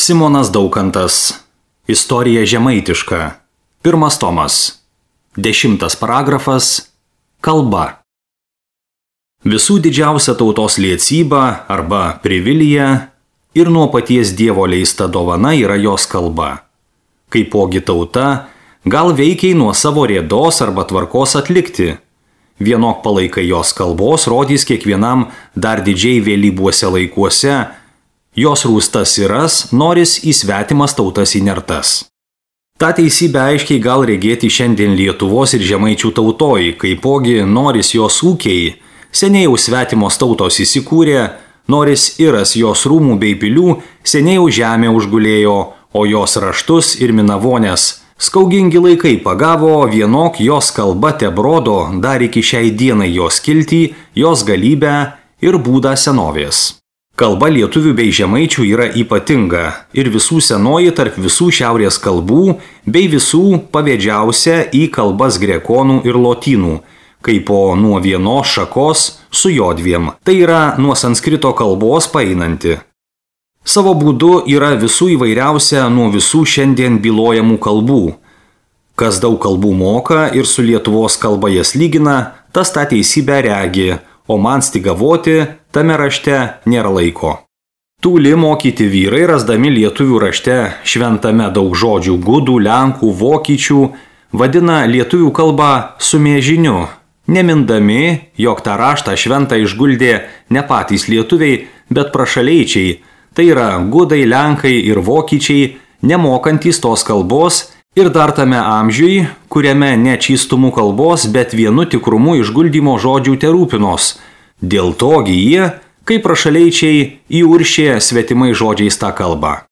Simonas Daukantas. Istorija žemaitiška. 1 tomas. 10 paragrafas. Kalba. Visų didžiausia tautos liecyba arba privilija ir nuo paties Dievo leista dovana yra jos kalba. Kaipogi tauta gal veikiai nuo savo rėdos arba tvarkos atlikti. Vienok palaikai jos kalbos rodys kiekvienam dar didžiai vėlybuose laikuose, jos rūstas siras noris į svetimas tautas įnertas. Ta teisybė aiškiai gal regėti šiandien Lietuvos ir žemaičių tautoj, kaipogi noris jos ūkiai, seniai jau svetimos tautos įsikūrė, noris iras jos rūmų bei pilių, seniai jau žemė užgulėjo, o jos raštus ir minavonės skaugingi laikai pagavo, vienok jos kalba tebrodo dar iki šiai dienai jos kiltį, jos galybę ir būdą senovės. Kalba lietuvių bei žemaičių yra ypatinga ir visų senoji tarp visų šiaurės kalbų bei visų pavėdžiausia į kalbas grekonų ir lotynų, kaipo nuo vienos šakos su jodviem, tai yra nuo sanskrito kalbos paeinanti. Savo būdu yra visų įvairiausia nuo visų šiandien bylojamų kalbų. Kas daug kalbų moka ir su Lietuvos kalba jas lygina, tas tą teisybę regi, o man stigavoti tame rašte nėra laiko. Tūli mokyti vyrai, rasdami lietuvių rašte šventame daug žodžių gudų, lenkų, vokiečių, vadina lietuvių kalbą sumėžiniu, nemindami, jog tą raštą šventą išguldė ne patys lietuviai, bet prašaleičiai, tai yra gudai, lenkai ir vokiečiai, nemokantys tos kalbos ir dar tame amžiui, kuriame ne čystumų kalbos, bet vienu tikrumu išguldymo žodžių terūpinos. Dėl togi jie, kaip prašaleičiai, įuršė svetimai žodžiais tą kalbą.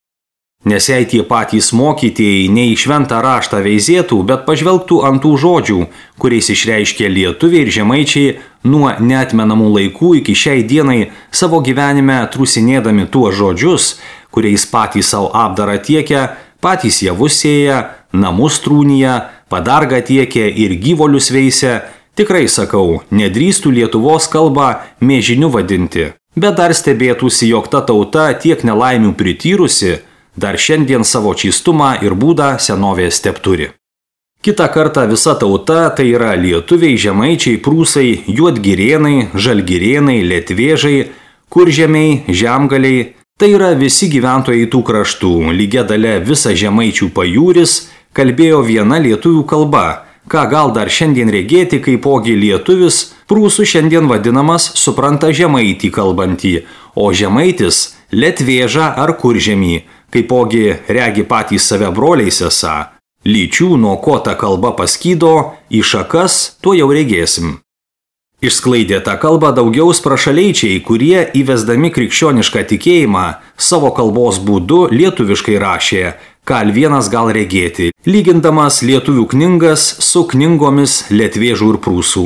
Nes jei tie patys mokytėjai ne į šventą raštą veizėtų, bet pažvelgtų ant tų žodžių, kuriais išreiškė lietuviai ir žemaičiai nuo neatmenamų laikų iki šiai dienai savo gyvenime trusinėdami tuos žodžius, kuriais patys savo apdarą tiekia, patys javus sėja, namus trūnyja, padargą tiekia ir gyvolius veisia, tikrai sakau, nedrįstų Lietuvos kalbą mėžiniu vadinti. Bet dar stebėtųsi, jog ta tauta tiek nelaimių prityrusi, dar šiandien savo čystumą ir būdą senovės tepturi. Kita kartą visa tauta, tai yra lietuviai, žemaičiai, prūsai, juodgirėnai, žalgirėnai, lietvėžai, kuržemiai, žemgaliai, tai yra visi gyventojai tų kraštų, lygia dalia visa žemaičių pajūris, kalbėjo viena lietuvių kalba, ką gal dar šiandien regėti, kaipogi lietuvis, prūsų šiandien vadinamas supranta žemaitį kalbantį, o žemaitis lietvėžą ar kuržemį, kaipogi regi patys save broliais esą. Lyčių, nuo ko ta kalba paskydo, į šakas, tuo jau regėsim. Išsklaidė tą kalbą daugiaus prašaleičiai, kurie įvesdami krikščionišką tikėjimą savo kalbos būdu lietuviškai rašė, ką vienas gal regėti, lygindamas lietuvių knygas su knygomis lietvėžų ir prūsų.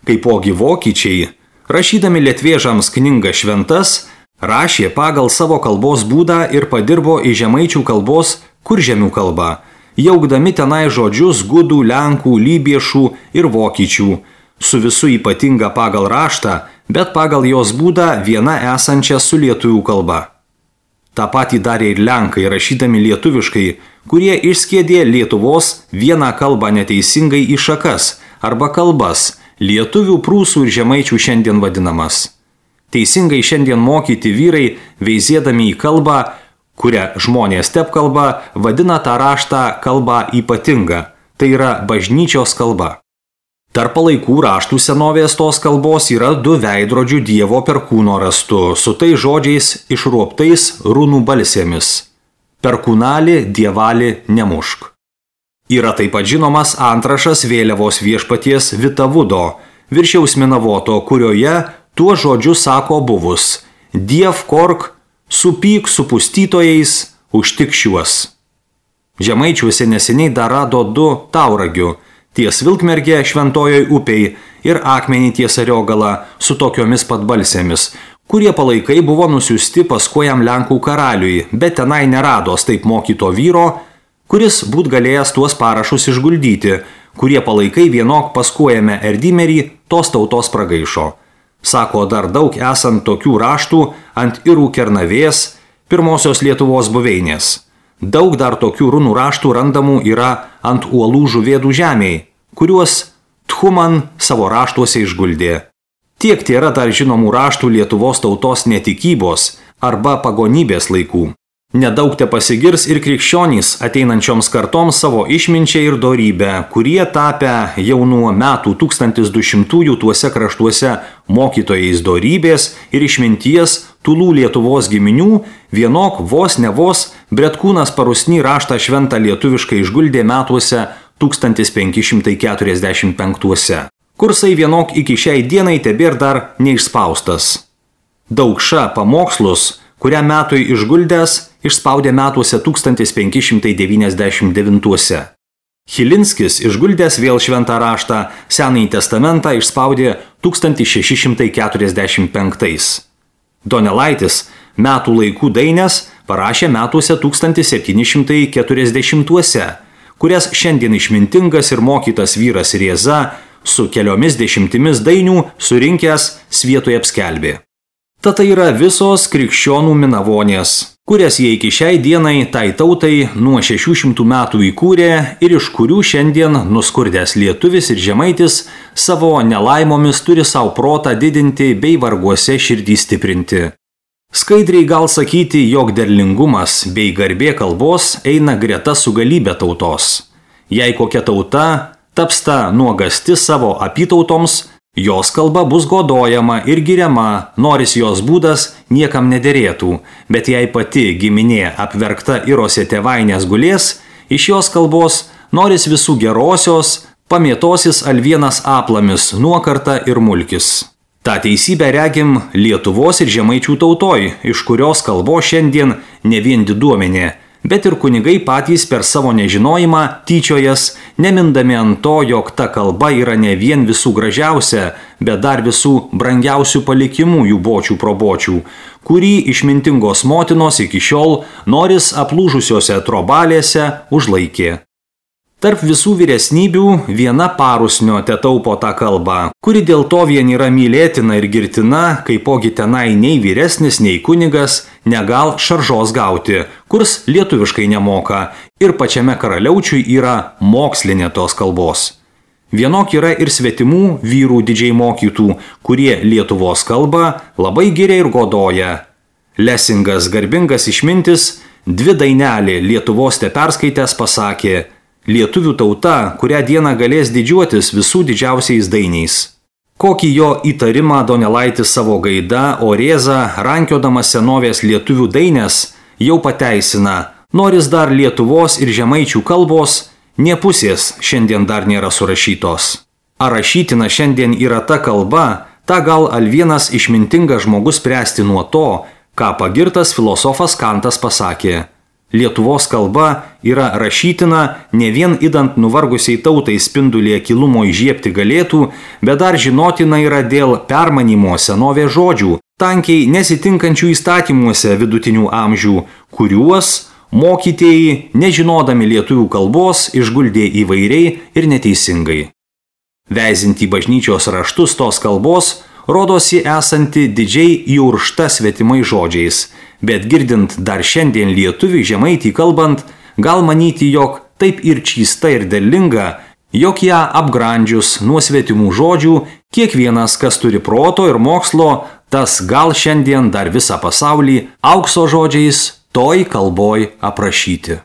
Kaipogi vokiečiai, rašydami lietvėžams knygas šventas, rašė pagal savo kalbos būdą ir padirbo į žemaičių kalbos kuržemių kalbą, jaukdami tenai žodžius gudų, lenkų, lybiešų ir vokiečių, su visų ypatinga pagal raštą, bet pagal jos būdą viena esančia su lietuvių kalba. Ta patį darė ir lenkai, rašydami lietuviškai, kurie išskiedė Lietuvos vieną kalbą neteisingai į šakas arba kalbas, lietuvių, prūsų ir žemaičių šiandien vadinamas. Teisingai šiandien mokyti vyrai, veizėdami į kalbą, kurią žmonės tepkalba, vadina tą raštą kalbą ypatingą, tai yra bažnyčios kalba. Tarp palaikų raštų senovės tos kalbos yra 2 veidrodžių Dievo perkūno rastu, su tai žodžiais išruoptais runų balsėmis. Perkūnali, dievali, nemušk. Yra taip pat žinomas antrašas vėliavos viešpaties Vitavudo, viršiaus minavoto, kurioje tuo žodžiu sako buvus: Diev kork, supyk su pustytojais, užtik šiuos. Žemaičiuose neseniai dar rado 2 tauragių, ties Vilkmergė šventojoj upei ir akmenį ties Ariogalą su tokiomis pat balsėmis, kurie palaikai buvo nusiųsti paskui Lenkų karaliui, bet tenai nerados taip mokyto vyro, kuris būt galėjęs tuos parašus išguldyti, kurie palaikai vienok paskui Erdimerį tos tautos pragaišo. Sako, dar daug esant tokių raštų ant irų Kernavės, pirmosios Lietuvos buveinės. Daug dar tokių runų raštų randamų yra ant uolų Žuvėdų žemėje, kuriuos Tchuman savo raštuose išguldė. Tiek tėra dar žinomų raštų Lietuvos tautos netikybos arba pagonybės laikų. Nedaug te pasigirs ir krikščionys ateinančioms kartoms savo išminčią ir dorybę, kurie tapę jau nuo metų 1200-ųjų tuose kraštuose mokytojais dorybės ir išminties Tulų Lietuvos giminių, vienok vos ne vos Bretkūnas Parusny raštą šventą lietuviškai išguldė metuose 1545-uose. Kursai vienok iki šiai dienai tebėr dar neišspaustas. Daukša pamokslus, kurią metui išguldęs, išspaudė metuose 1599-uose. Chilinskis išguldęs vėl šventą raštą Senąjį testamentą išspaudė 1645. Donelaitis metų laikų daines parašė metuose 1740-uose, kurias šiandien išmintingas ir mokytas vyras Rieza su keliomis dešimtimis dainių surinkęs Svietoje apskelbė. Tad tai yra visos krikščionų minavonės, kurias jie iki šiai dienai tai tautai nuo 600 metų įkūrė ir iš kurių šiandien nuskurdęs lietuvis ir žemaitis savo nelaimomis turi savo protą didinti bei varguose širdį stiprinti. Skaidriai gal sakyti, jog derlingumas bei garbė kalbos eina greta su galybė tautos. Jei kokia tauta tapsta nuogasti savo apytautoms, jos kalba bus godojama ir giriama, noris jos būdas niekam nederėtų, bet jei pati giminė apverkta irose tėvainės gulės, iš jos kalbos noris visų gerosios, pamėtosis alvienas aplamis, nuokarta ir mulkis. Ta teisybę regim Lietuvos ir žemaičių tautoj, iš kurios kalbos šiandien ne vien diduomenė, bet ir kunigai patys per savo nežinojimą tyčiojas, nemindami ant to, jog ta kalba yra ne vien visų gražiausia, bet dar visų brangiausių palikimų jų bočių probočių, kurį išmintingos motinos iki šiol noris aplūžusiose trobalėse užlaikė. Tarp visų vyresnybių viena Parusnio tetaupo tą kalbą, kuri dėl to vien yra mylėtina ir girtina, kaipogi tenai nei vyresnis, nei kunigas negal šaržos gauti, kurs lietuviškai nemoka ir pačiame karaliaučiui yra mokslinė tos kalbos. Vienok yra ir svetimų vyrų didžiai mokytų, kurie Lietuvos kalbą labai giria ir godoja. Lesingas garbingas išmintis dvi dainelį Lietuvos te perskaitęs pasakė: lietuvių tauta, kurią dieną galės didžiuotis visų didžiausiais dainiais. Kokį jo įtarimą Donelaitis savo gaida, o Rieza, rankiodamas senovės lietuvių daines, jau pateisina, noris dar Lietuvos ir žemaičių kalbos, nė pusės šiandien dar nėra surašytos. Ar rašytina šiandien yra ta kalba, ta gal alvienas išmintingas žmogus spręsti nuo to, ką pagirtas filosofas Kantas pasakė. Lietuvos kalba yra rašytina ne vien idant nuvargusiai tautai spindulėje kilumo įžiebti galėtų, bet dar žinotina yra dėl permanymo senovės žodžių, tankiai nesitinkančių įstatymuose vidutinių amžių, kuriuos mokytieji, nežinodami lietuvių kalbos, išguldė įvairiai ir neteisingai. Veizinti bažnyčios raštus tos kalbos rodosi esanti didžiai įuršta svetimai žodžiais, bet girdint dar šiandien lietuvių žemaitį kalbant, gal manyti, jog taip ir čysta ir derlinga, jog ją apgrandžius nuo svetimų žodžių, kiekvienas, kas turi proto ir mokslo, tas gal šiandien dar visą pasaulį aukso žodžiais toj kalboj aprašyti.